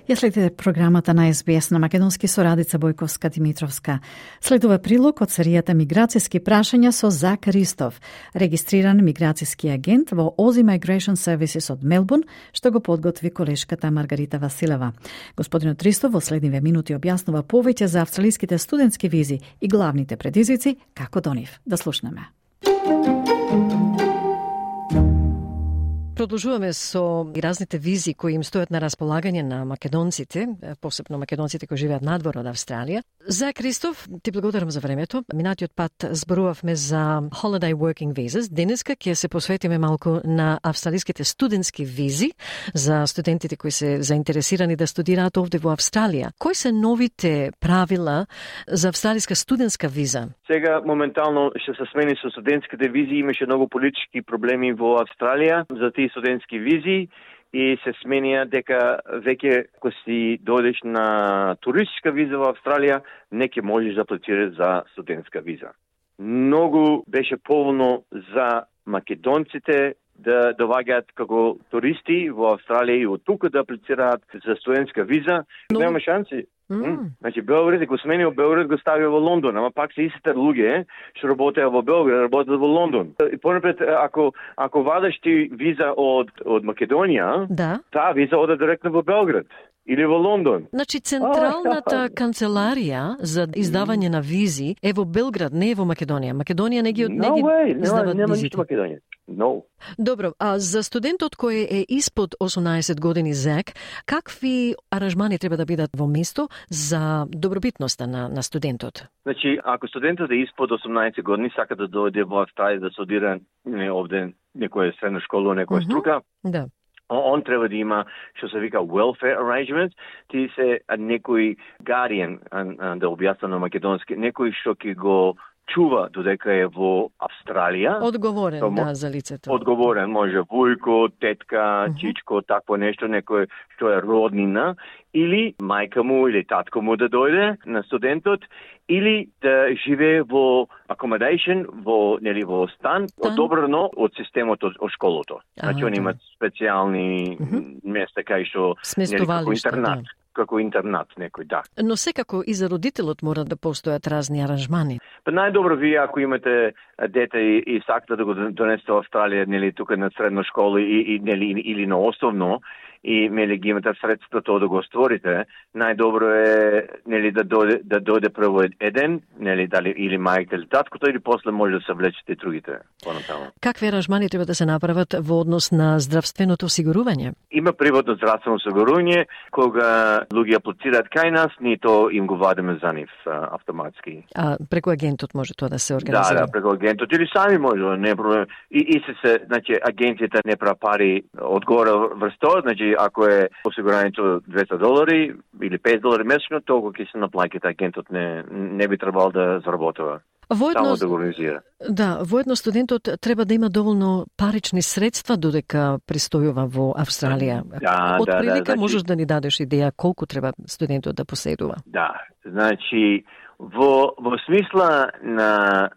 [SPEAKER 1] Ја следите програмата на Ес Би Ес на македонски со Радица Бојковска-Димитровска. Следува прилог од серијата Миграцијски прашања со Зак Ристов, регистриран миграцијски агент во Aussie Migration Services од Мелбурн, што го подготви колешката Маргарита Василева. Господинот Ристов во следниве минути објаснува повеќе за австралиските студентски визи и главните предизвици како до нив. Да слушнеме.
[SPEAKER 24] Продолжуваме со разните визи кои им стојат на располагање на македонците, посебно македонците кои живеат надвор од Австралија. За Кристоф, ти благодарам за времето. Минатиот пат зборувавме за Holiday Working Visas. Денеска ќе се посветиме малку на австралиските студентски визи за студентите кои се заинтересирани да студираат овде во Австралија. Кои се новите правила за австралиска студентска виза?
[SPEAKER 6] Сега моментално ќе се смени со студентските визи, имаше многу политички проблеми во Австралија за тие студентски визи и се сменија дека веќе ако си дојдеш на туристичка виза во Австралија, не ќе можеш да аплицираш за студентска виза. Многу беше поволно за македонците да доваѓаат како туристи во Австралија и од тука да аплицираат за студентска виза. Но... Нема шанси. Mm. Значи Белград, ако сменил Белград, го ставија во Лондон, ама пак се истите луѓе што работеа во Белград, работеат во Лондон. И понапред, ако ако вадаш ти виза од од Македонија,
[SPEAKER 24] да,
[SPEAKER 6] таа виза оде директно во Белград. или во Лондон.
[SPEAKER 24] Значи, централната канцеларија за издавање на визи е во Белград, не е во Македонија. Македонија не ги, не ги
[SPEAKER 6] no way,
[SPEAKER 24] издават
[SPEAKER 6] нема
[SPEAKER 24] визите.
[SPEAKER 6] ништо Македонија. No.
[SPEAKER 24] Добро, а за студентот кој е испод осумнаесет години зек, какви аранжмани треба да бидат во место за добробитноста на, на студентот?
[SPEAKER 6] Значи, ако студентот е испод осумнаесет години, сака да дојде во Австралија да студира не, овде некоја средна школа, некоја
[SPEAKER 24] Мгм.
[SPEAKER 6] струка,
[SPEAKER 24] Да.
[SPEAKER 6] он треба да има што се вика welfare arrangements, ти се а, некој guardian, а, а, да објаснам на македонски, некој што ќе го чува додека е во Австралија.
[SPEAKER 24] Одговорен,
[SPEAKER 6] Тоа мо-
[SPEAKER 24] да, за лицето.
[SPEAKER 6] Одговорен, може вујко, тетка, чичко, такво нешто, некој што е роднина, или мајка му или татко му да дојде на студентот, или да живее во accommodation, во нели во стан, одобрено од системот од, од школото. Значи
[SPEAKER 24] А,
[SPEAKER 6] они
[SPEAKER 24] да.
[SPEAKER 6] имаат специјални места кај што нели како
[SPEAKER 24] Сместувалишта,
[SPEAKER 6] интернат,
[SPEAKER 24] да.
[SPEAKER 6] како интернат некој, да.
[SPEAKER 24] Но секако и за родителот мора да постојат разни аранжмани.
[SPEAKER 6] Па најдобро вие ако имате а, дете и, и сакате да го донесете во Австралија, нели тука на средна школа и, и нели или, или на основно, и нели ги имате средства тоа да го створите, најдобро е нели да дојде да дојде прво еден, нели дали или мајка или таткото, или после може да се влечете и другите понатаму.
[SPEAKER 24] Какви аранжмани треба да се направат во однос на здравственото осигурување?
[SPEAKER 6] Има приватно здравствено осигурување, кога луѓе аплицираат кај нас, ние тоа им го вадиме за нив а, автоматски.
[SPEAKER 24] А преку агентот може тоа да се
[SPEAKER 6] Да,
[SPEAKER 24] организира?
[SPEAKER 6] да, преку агентот или сами може, не е проблем. И, и се се, значи, агенцијата не пра пари одгоре врз тоа, значи, ако е осигурањето двеста долари или пет долари месечно, толку ќе се наплаќате, агентот не, не би требал да заработува.
[SPEAKER 24] Воедно,
[SPEAKER 6] Само да го организира.
[SPEAKER 24] да, воедно студентот треба да има доволно парични средства додека престојува во Австралија.
[SPEAKER 6] Да,
[SPEAKER 24] Од
[SPEAKER 6] да, да,
[SPEAKER 24] прилика
[SPEAKER 6] значи-
[SPEAKER 24] можеш да ни дадеш идеја колку треба студентот да поседува?
[SPEAKER 6] Да, значи, во, во смисла на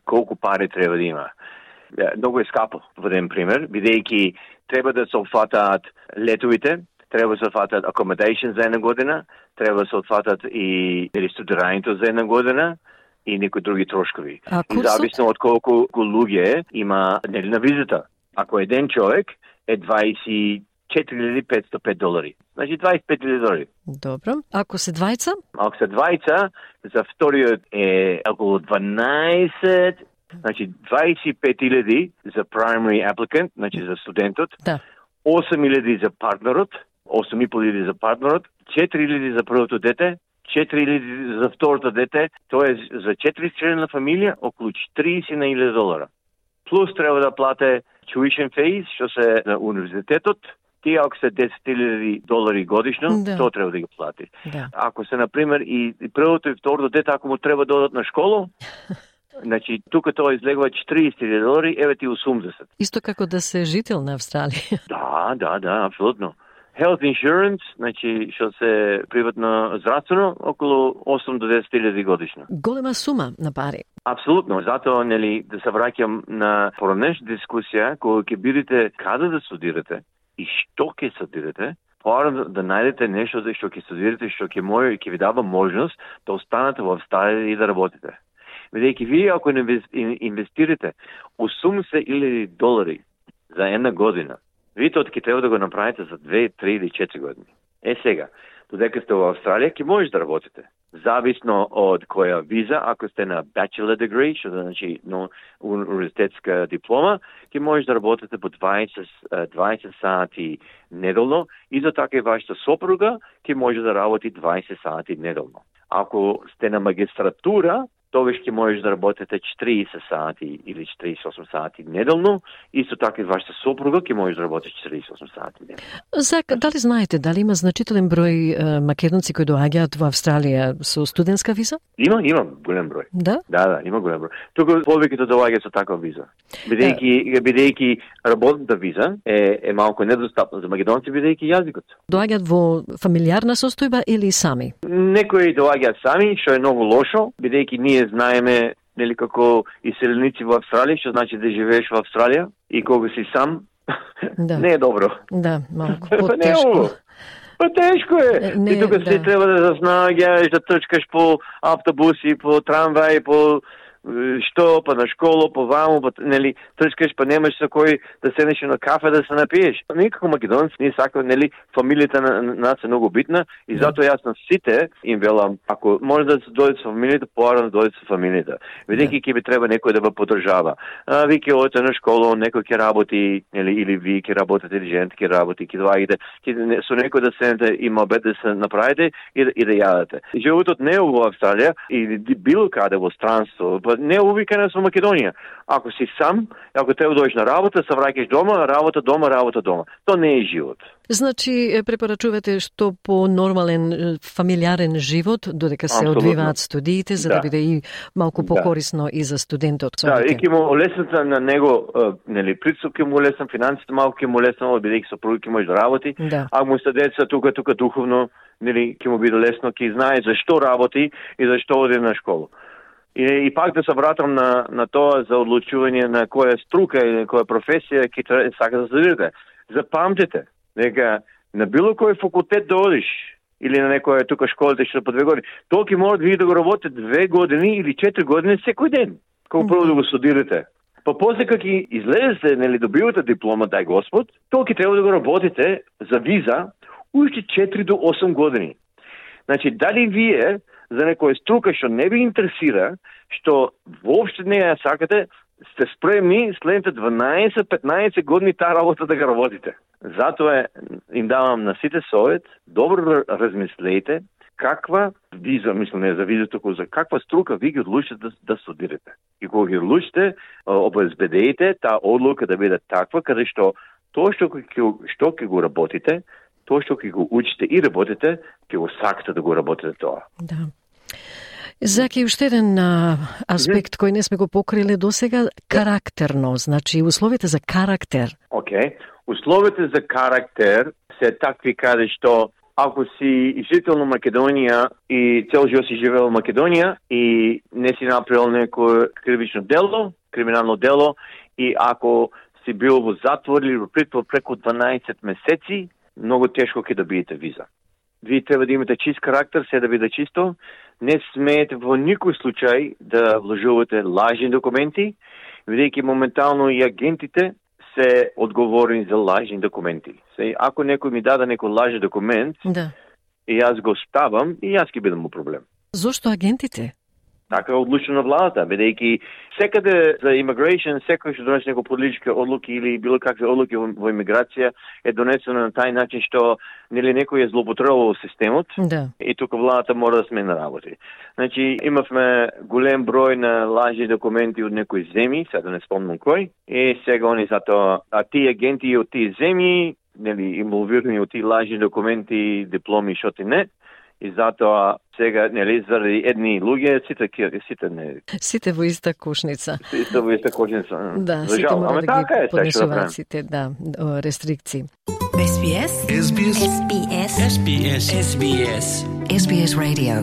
[SPEAKER 6] колку пари треба да има. Е, Многу е скапо, во еден пример, бидејќи треба да се опфатаат летовите, треба да се опфатаат accommodation за една година, треба да се опфатаат и нели студирањето за една година и некои други трошкови.
[SPEAKER 24] А
[SPEAKER 6] И
[SPEAKER 24] курсот?
[SPEAKER 6] зависно од колку луѓе има нели на визита. Ако еден човек е дваесет и четири илјади петстотини и пет долари. Значи дваесет и пет илјади долари.
[SPEAKER 24] Добро. Ако се двајца?
[SPEAKER 6] Ако се двајца, за вториот е околу дванаесет, значи дваесет и пет илјади за primary applicant, значи за студентот,
[SPEAKER 24] Да.
[SPEAKER 6] осем илјади за партнерот, осем и пол илјади за партнерот, четири илјади за првото дете, четири илјади за второто дете, тоа е за четири члена фамилија околу четириесет илјади долара. Плюс треба да плате tuition fees, што се на универзитетот, тие ако се десет илјади долари годишно,
[SPEAKER 24] Да.
[SPEAKER 6] тоа треба да ги плати.
[SPEAKER 24] Да.
[SPEAKER 6] Ако се, например, и, и првото и второто дете, ако му треба да одат на школа, значи, тука тоа излегува четириесет илјади долари, еве ти осумдесет.
[SPEAKER 24] Исто како да се жител на Австралија.
[SPEAKER 6] Да, да, да, апсолутно. Health insurance, значи, што се приватно здравствено, околу осем до десет илјади годишно.
[SPEAKER 24] Голема сума на пари.
[SPEAKER 6] Апсолутно, затоа, нели, да се враќам на поранешна дискусија, кога ќе бидете каде да студирате и што ќе студирате, порано да најдете нешто за што ќе студирате, што ќе може и ќе ви дава можност да останете во Австралија и да работите. Бидејќи вие ако не инвес- ин- инвестирате осумдесет илјади долари за една година, вие тоа ќе треба да го направите за две, три или четири години. Е сега, додека сте во Австралија, ќе можеш да работите. Зависно од која виза, ако сте на bachelor degree, што значи но универзитетска диплома, ќе можеш да работите по дваесет, дваесет сати неделно и за така и вашата сопруга ќе може да работи дваесет сати неделно. Ако сте на магистратура, тогаш ќе можеш да работите четириесет сати или четириесет и осум сати неделно, исто така и вашата сопруга ќе може да работи четириесет и осум сати неделно.
[SPEAKER 24] Зак, дали знаете дали има значителен број е, македонци кои доаѓаат во Австралија со студентска виза?
[SPEAKER 6] Има, има голем број.
[SPEAKER 24] Да?
[SPEAKER 6] Да, да, има голем број. Тука повеќето доаѓаат со таква виза. Бидејќи бидејќи работната виза е е малку недостапна за македонци бидејќи јазикот.
[SPEAKER 24] Доаѓаат во фамилиарна состојба или сами?
[SPEAKER 6] Некои доаѓаат сами, што е многу лошо, бидејќи ние знаеме нели како иселеници во Австралија, што значи да живееш во Австралија и кога си сам,
[SPEAKER 24] Да.
[SPEAKER 6] не е добро.
[SPEAKER 24] Да, малку
[SPEAKER 6] Па не е
[SPEAKER 24] потешко.
[SPEAKER 6] ово. Па тешко е.
[SPEAKER 24] Не,
[SPEAKER 6] Ти тука
[SPEAKER 24] да.
[SPEAKER 6] си треба да заснаѓаш, да трчкаш по автобуси, по трамваи, по што, па на школу, па ваму, па, нели, трчкаш, па немаш со кој да седнеш на кафе да се напиеш. Никако македонци, ние сакаме, нели, фамилијата на, на нас е многу битна и затоа јас на сите им велам, ако може да се дојдете со фамилијата, порано дојдете со фамилијата. Бидејќи ќе би треба некој да ве поддржава. А, ви ќе одите на школа, некој ќе работи, нели, или ви ќе работите, или жените ќе работи, ќе доаѓате, ќе со некој да седнете и мобет да се направите и, и да јадете. Животот не е во Австралија или било каде во странство, па не е увикано со Македонија. Ако си сам, ако треба да дојдеш на работа, се враќаш дома, работа дома, работа дома. Тоа не е живот.
[SPEAKER 24] Значи, препорачувате што по нормален фамилиарен живот, додека се
[SPEAKER 6] Абсолютно.
[SPEAKER 24] Одвиваат студиите, за да, да биде и малку покорисно да. И за студентот.
[SPEAKER 6] Да, и ќе му олеснат на него, нели, притсуп ќе му олеснам, финансите малку ќе му олеснам, бидејќи сопруг ќе може да работи,
[SPEAKER 24] да.
[SPEAKER 6] А му се деца тука, тука духовно, нели, ќе му биде лесно, ќе знае зашто работи и зашто оди на школа. И, и пак да се вратам на, на тоа за одлучување на која струка или која професија ќе сака да следите. Запамтете, дека на било кој факултет да одиш, или на некоја тука школите што по две години, тоа ќе може да ви да го работите две години или четири години секој ден, кога прво да го студирате. Па после кога ќе излезете, нели, добивате диплома, дај Господ, тоа ќе треба да го работите за виза уште четири до осум години. Значи, дали вие за некоја струка што не ви интересира, што воопште не ја сакате, сте спремни следните дванаесет петнаесет години таа работа да го работите. Затоа им давам на сите совет, добро размислете каква виза, мислам не за виза, туку за каква струка ви ги одлучите да, да студирате. И кога ги одлучите, обезбедејте таа одлука да биде таква, каде што тоа што ќе што ќе го работите, тоа што ќе го учите и работите, ќе го сакате да го работите тоа.
[SPEAKER 24] Да. Заки, уште еден а, аспект кој не сме го покриле досега, карактерно, значи условите за карактер.
[SPEAKER 6] Окей, okay. Условите за карактер се такви каде што ако си жител на Македонија и цел живот си живеел в Македонија и не си направил некој кривично дело, криминално дело и ако си бил во затвор или во притвор преку дванаесет месеци, многу тешко ќе добиете виза. Вие треба да имате чист карактер, се да биде чисто. Не смеете во никој случај да вложувате лажни документи, бидејќи моментално и агентите се одговорни за лажни документи. Се, ако некој ми даде некој лажен документ,
[SPEAKER 24] да.
[SPEAKER 6] И јас го ставам, и јас ќе бидам у проблем.
[SPEAKER 24] Зошто агентите?
[SPEAKER 6] Така е одлучено владата, бидејќи секаде за immigration, секој што донесе некои политички одлуки или било какви одлуки во, во имиграција е донесено на тај начин што нели некој е злоупотребувал системот,
[SPEAKER 24] да.
[SPEAKER 6] И тука владата мора да смени работи. Значи имавме голем број на лажни документи од некои земји, сега да не спомнам кој, и сега они затоа, а тие агенти од тие земји, нели инволвирани од тие лажни документи, дипломи, што ти не. И затоа сега, нели, заради едни луѓе, сите, сите не...
[SPEAKER 24] Сите во иста кошница.
[SPEAKER 6] Сите во иста кошница.
[SPEAKER 24] Да,
[SPEAKER 6] за
[SPEAKER 24] сите
[SPEAKER 6] жал.
[SPEAKER 24] мора
[SPEAKER 6] Ама
[SPEAKER 24] да
[SPEAKER 6] така
[SPEAKER 24] ги
[SPEAKER 6] е,
[SPEAKER 24] поднесуваат сите, да, рестрикции.
[SPEAKER 7] Ес Би Ес. Ес Би Ес. Ес Би Ес. Ес Би Ес. Ес Би Ес. Ес Би Ес Radio.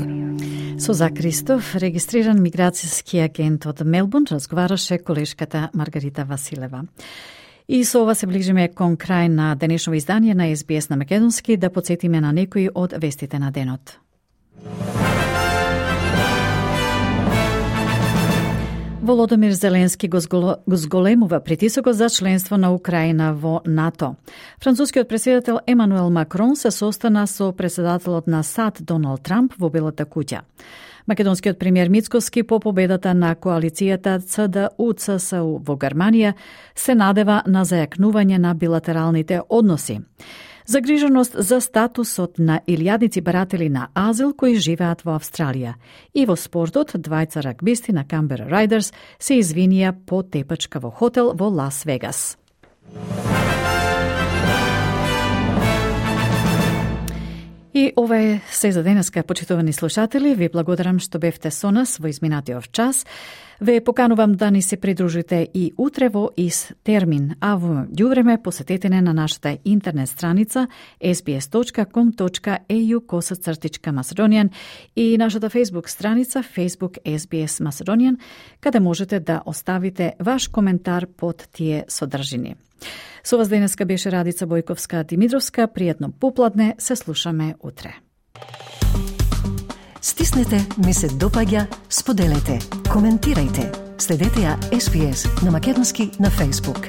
[SPEAKER 1] Со Зак Ристов, регистриран миграцијски агент од Мелбурн, разговараше колешката Маргарита Василева. И со ова се ближиме кон крај на денешно издание на Ес Би Ес на Македонски, да подсетиме на некои од вестите на денот. Володомир Зеленски го зголемува притисокот за членство на Украина во НАТО. Францускиот претседател Емануел Макрон се состана со претседателот на САД Доналд Трамп во Белата куќа. Македонскиот премиер Мицкоски по победата на коалицијата Ц Д У Ц С У во Германија се надева на зајакнување на билатералните односи. Загриженост за статусот на илјадници баратели на азил кои живеат во Австралија. И во спортот, двајца рагбисти на Камбера Райдерс се извинија по тепачка во хотел во Лас Вегас. И ова е се за денеска, почитувани слушатели. Ви благодарам што бевте со нас во изминатиот час. Ве поканувам да ни се придружите и утре во ист термин, а во ѓувреме посетете на нашата интернет страница ес би ес точка ком точка е ю косацртичка Macedonian и нашата Facebook страница Facebook Ес Би Ес Macedonian, каде можете да оставите ваш коментар под тие содржини. Со вас денеска беше Радица Бојковска Димитровска. Пријатно попладне, се слушаме утре.
[SPEAKER 24] Стиснете ми се допаѓа, споделете, коментирајте. Следете ја Ес Би Ес на македонски на Facebook.